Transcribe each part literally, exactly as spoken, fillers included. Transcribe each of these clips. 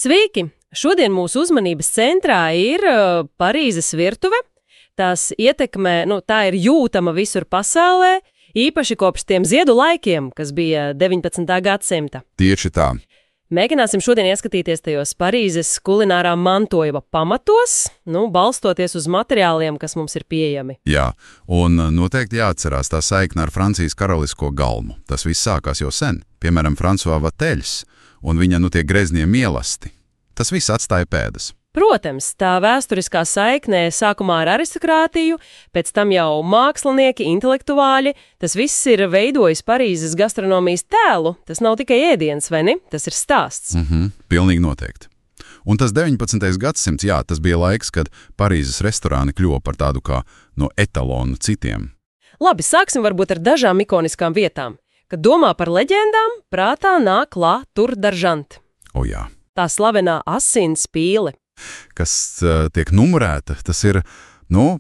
Sveiki! Šodien mūsu uzmanības centrā ir uh, Parīzes virtuve. Tās ietekme, nu, tā ir jūtama visur pasaulē, īpaši kopš tiem ziedu laikiem, kas bija deviņpadsmitā gadsimta. Tieši tā. Mēģināsim šodien ieskatīties tajos Parīzes kulinārā mantojuma pamatos, nu, balstoties uz materiāliem, kas mums ir pieejami. Jā, un noteikti jāatcerās tā saikne ar Francijas karalisko galmu. Tas viss sākās jau sen, piemēram, François Vateļs un viņa, nu, tie greznie mielasti. Tas viss atstāja pēdas. Protams, tā vēsturiskā saiknē sākumā ar aristokrātiju, pēc tam jau mākslinieki, intelektuāļi, tas viss ir veidojis Parīzes gastronomijas tēlu. Tas nav tikai ēdiens, vai ne? Tas ir stāsts. Mhm, pilnīgi noteikti. Un tas deviņpadsmitais gadsimts, jā, tas bija laiks, kad Parīzes restorāni kļuva par tādu kā no etalonu citiem. Labi, sāksim varbūt ar dažām ikoniskām vietām. Kad domā par leģendām, prātā nāk La Tour d'Argent. O jā. Tā slavenā asins pīle. Kas uh, tiek numurēta, tas ir, nu,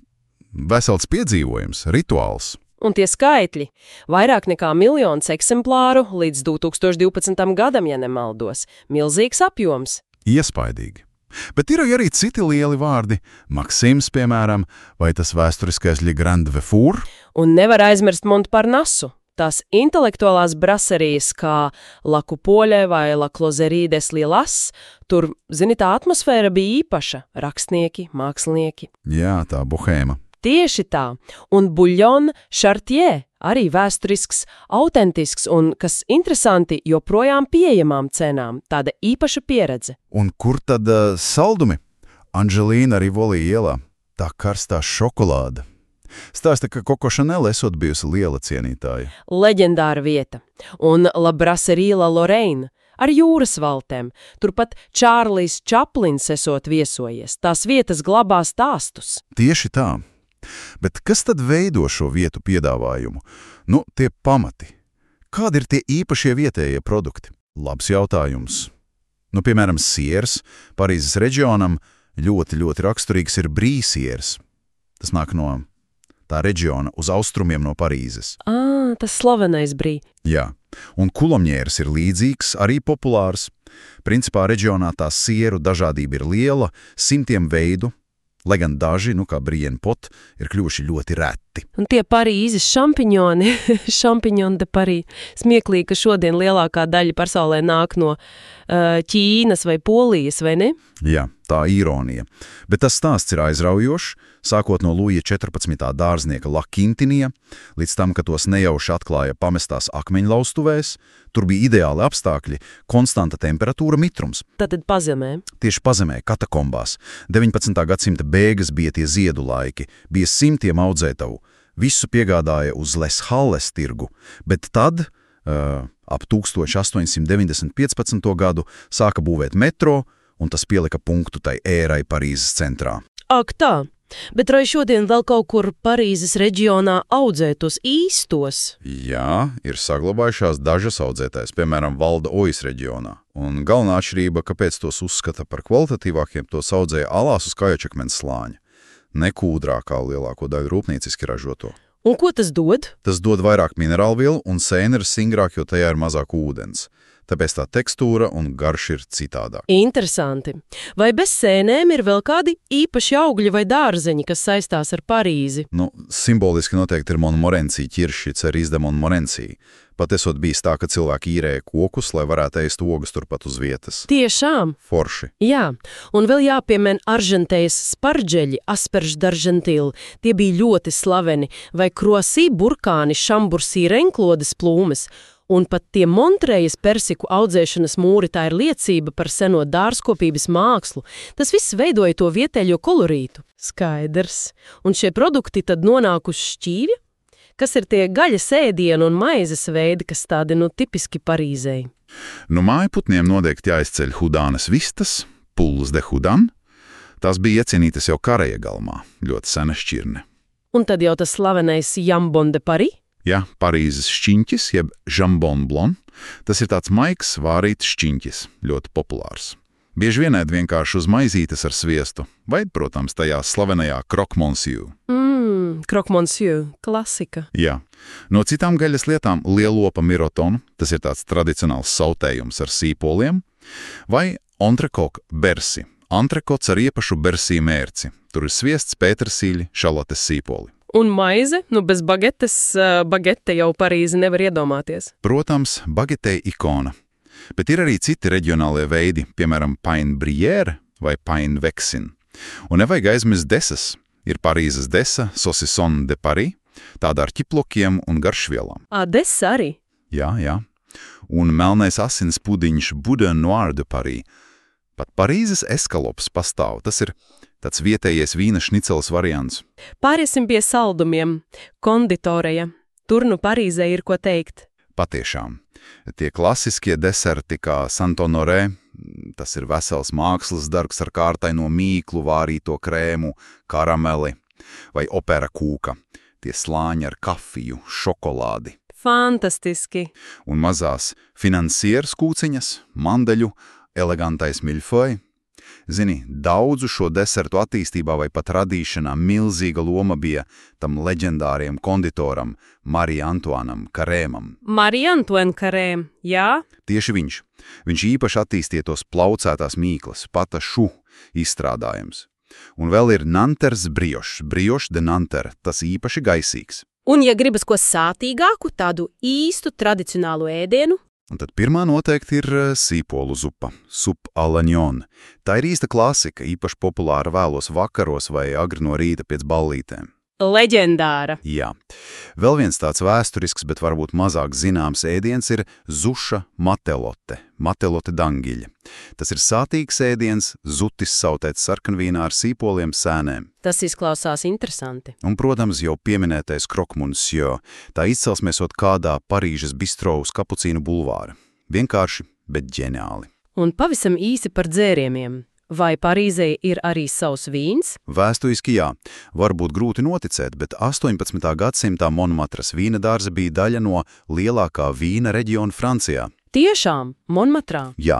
vesels piedzīvojums, rituāls. Un tie skaitļi – vairāk nekā miljons eksemplāru līdz divi tūkstoši divpadsmitam gadam, ja nemaldos. Milzīgs apjoms. Iespaidīgi. Bet ir arī citi lieli vārdi. Maksims, piemēram, vai tas vēsturiskais Le Grand Vefour. Un nevar aizmirst Montparnasu. Tās intelektuālās braserijas kā La Coupole vai La Closerie des Lilas, tur, zini, tā atmosfēra bija īpaša – rakstnieki, mākslinieki. Jā, tā bohēma. Tieši tā. Un Bouillon Chartier arī vēsturisks, autentisks un, kas interesanti, joprojām pieejamām cenām. Tāda īpaša pieredze. Un kur tad uh, saldumi? Anželīna Rivoli ielā. Tā karstā šokolāda. Stāsta, ka Coco Chanel esot bijusi liela cienītāja. Leģendāra vieta. Un La Brasserie La Lorraine ar jūras valtēm. Turpat Čārlis Čaplins esot viesojies. Tās vietas glabā stāstus. Tieši tā. Bet kas tad veido šo vietu piedāvājumu? Nu, tie pamati. Kādi ir tie īpašie vietējie produkti? Labs jautājums. Nu, piemēram, siers. Parīzes reģionam ļoti, ļoti raksturīgs ir brīsiers. Tas nāk no tā reģiona uz austrumiem no Parīzes. Ā, tas slavenais brī. Jā, un kulomņērs ir līdzīgs, arī populārs. Principā reģionā tā sieru dažādība ir liela, simtiem veidu, lai gan daži, nu kā Brienne Pot, ir kļuvuši ļoti reti. Un tie Parīzes šampiņoni, šampiņoni de Parī, smieklīgi, ka šodien lielākā daļa pasaulē nāk no uh, Ķīnas vai Polijas, vai ne? Jā, tā ironija. Bet tas stāsts ir aizraujošs, sākot no Luija četrpadsmitā dārznieka La Quintinija, līdz tam, ka tos nejauši atklāja pamestās akmeņlaustuvēs, tur bija ideāli apstākļi, konstanta temperatūra, mitrums. Tātad pazemē. Tieši pazemē, katakombās. deviņpadsmitā gadsimta beigas bija tie ziedu laiki, bija simtiem audzētavu, visu piegādāja uz Les Halles tirgu, bet tad, uh, ap tūkstoš astoņsimt deviņdesmit piecpadsmito gadu, sāka būvēt metro, un tas pielika punktu tai ērai Parīzes centrā. Ak tā! Bet vai šodien vēl kaut kur Parīzes reģionā audzētos īstos? Jā, ir saglabājušās dažas audzētājs, piemēram, Valda Ojas reģionā. Un galvenā atšķirība, kāpēc tos uzskata par kvalitatīvākiem, tos audzēja alās uz kājačakmens slāņa, nekūdrā kā lielāko daļu rūpnieciski ražoto. Un ko tas dod? Tas dod vairāk minerālvielu, un sēne ir singrāk, jo tajā ir mazāk ūdens. Tāpēc tā tekstūra un garš ir citādāk. Interesanti. Vai bez sēnēm ir vēl kādi īpaši augļi vai dārzeņi, kas saistās ar Parīzi? Nu, simboliski noteikti ir Montmorency ķirši, Cerise de Montmorency. Pat esot bijis tā, ka cilvēki īrēja kokus, lai varētu ēst ogas turpat uz vietas. Tiešām? Forši. Jā, un vēl jāpiemin Argentejas sparģeļi, Asperge d'Argentille. Tie bija ļoti slaveni, vai Croissy burkāni, Chambursy renklodes plūmes. Un pat tie Montrejas persiku audzēšanas mūri, tā ir liecība par seno dārzkopības mākslu. Tas viss veidoja to vietējo kolorītu. Skaidrs. Un šie produkti tad nonāk uz šķīvja? Kas ir tie gaļas ēdienu un maizes veidi, kas tādi, nu, tipiski Parīzei? Nu, mājputniem noteikti jāizceļ hudānas vistas, poules de hudāne. Tās bija iecienītas jau Kareja galmā, ļoti sena šķirne. Un tad jau tas slavenais jambon de Paris? Jā, Parīzes šķiņķis, jeb jambon blanc, tas ir tāds maigs, vārīts šķiņķis, ļoti populārs. Bieži vien ēd vienkārši uz maizītes ar sviestu, vai, protams, tajā slavenajā croque monsieur. Mmm, croque monsieur, klasika. Jā. No citām gaļas lietām lielopa mirotonu, tas ir tāds tradicionāls sautējums ar sīpoliem, vai Entrecôte bersi. Antrekots ar iepašu bersī mērci. Tur ir sviests, pētersīļi, šalotes sīpoli. Un maize? Nu, bez bagetes, uh, bagete jau Parīzi nevar iedomāties. Protams, bagetei ikona. Bet ir arī citi reģionālie veidi, piemēram, pain brière vai pain vexin. Un nevajag aizmirst desas. Ir Parīzes desa, saucisson de Paris, tāda ar ķiplokiem un garšvielām. Ā, desa arī? Jā, jā. Un melnais asins pudiņš Boudin Noir de Paris. Pat Parīzes eskalops pastāv. Tas ir tāds vietējais vīna šnicels variants. Pāriesim pie saldumiem. Konditoreja. Tur nu Parīzē ir ko teikt. Patiešām. Tie klasiskie deserti kā Saint-Honoré, tas ir vesels mākslas darbs ar kārtaino mīklu, vārīto krēmu, karameli vai opera kūka. Tie slāņi ar kafiju, šokolādi. Fantastiski. Un mazās finansieras kūciņas, mandeļu, elegantais miļfoj. Zini, daudzu šo desertu attīstībā vai pat radīšanā milzīga loma bija tam leģendāriem konditoram Marie Antoinam Carêmam. Marie Antoine Carême, jā? Tieši viņš. Viņš īpaši attīstīja tos plaucētās mīklas, pata šu izstrādājums. Un vēl ir Nanter's brioche, brioche de Nanterre, tas īpaši gaisīgs. Un ja gribas ko sātīgāku, tādu īstu tradicionālu ēdienu? Un tad pirmā noteikti ir sīpolu zupa, soupe à l'oignon. Tā ir īsta klasika, īpaši populāra vēlos vakaros vai agri no rīta pēc ballītēm. Leģendāra. Jā. Vēl viens tāds vēsturisks, bet varbūt mazāk zināms ēdiens ir zuša matelote, matelote dangiļa. Tas ir sātīgs ēdiens, zutis sautēts sarkanvīnā ar sīpoliem sēnēm. Tas izklausās interesanti. Un, protams, jau pieminētais croque monsieur. Tā izcelsmēs ot kādā Parīžas bistro uz Kapucīnu bulvāra. Vienkārši, bet ģeniāli. Un pavisam īsi par dzērieniem. Vai Parīzē ir arī savs vīns? Vēsturiski jā. Varbūt grūti noticēt, bet astoņpadsmitā gadsimtā Montmartres vīna dārza bija daļa no lielākā vīna reģiona Francijā. Tiešām, Montmartrā? Jā,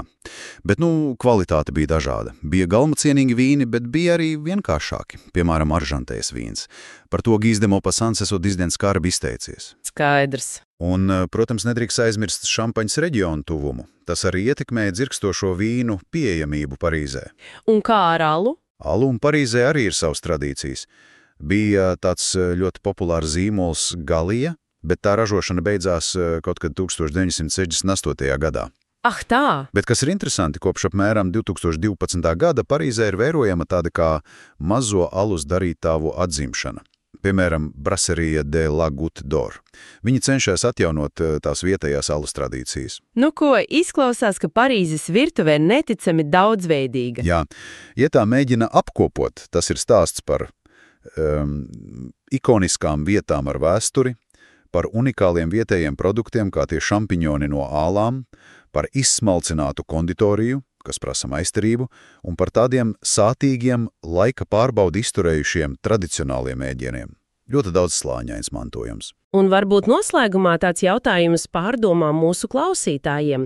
bet nu kvalitāte bija dažāda. Bija galmacienīgi vīni, bet bija arī vienkāršāki, piemēram, aržantējas vīns. Par to Guy de Maupassants esot diezgan skarbi izteicies. Skaidrs. Un, protams, nedrīkst aizmirst Šampaņas reģionu tuvumu. Tas arī ietekmēja dzirkstošo vīnu pieejamību Parīzē. Un kā ar alu? Alu un Parīzē arī ir savas tradīcijas. Bija tāds ļoti populārs zīmols Galija, bet tā ražošana beidzās kaut kad tūkstoš deviņsimt sešdesmit astotajā gadā. Ah, tā! Bet kas ir interesanti, kopš apmēram divtūkstoš divpadsmitā gada Parīzē ir vērojama tāda kā mazo alus darītāvu atzimšana. Piemēram, Brasserie de la Goutte d'Or. Viņi cenšas atjaunot tās vietējās alus tradīcijas. Nu ko, izklausās, ka Parīzes virtuvē neticami daudzveidīga. Jā, ja tā mēģina apkopot, tas ir stāsts par um, ikoniskām vietām ar vēsturi, par unikāliem vietējiem produktiem, kā tie šampiņoni no ālām, par izsmalcinātu konditoriju, kas prasa maistarību, un par tādiem sātīgiem, laika pārbaudi izturējušiem tradicionāliem ēdieniem. Ļoti daudz slāņains mantojums. Un varbūt noslēgumā tāds jautājums pārdomām mūsu klausītājiem.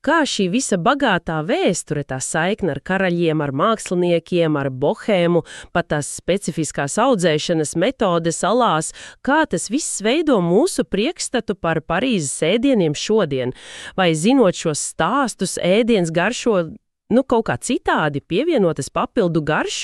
Kā šī visa bagātā vēsture, tā saikne ar karaļiem, ar māksliniekiem, ar bohēmu, pat tās specifiskās audzēšanas metodes salās, kā tas viss veido mūsu priekšstatu par Parīzes ēdieniem šodien? Vai zinot šos stāstus, ēdiens garšo, nu, kaut kā citādi pievienotas papildu garšu?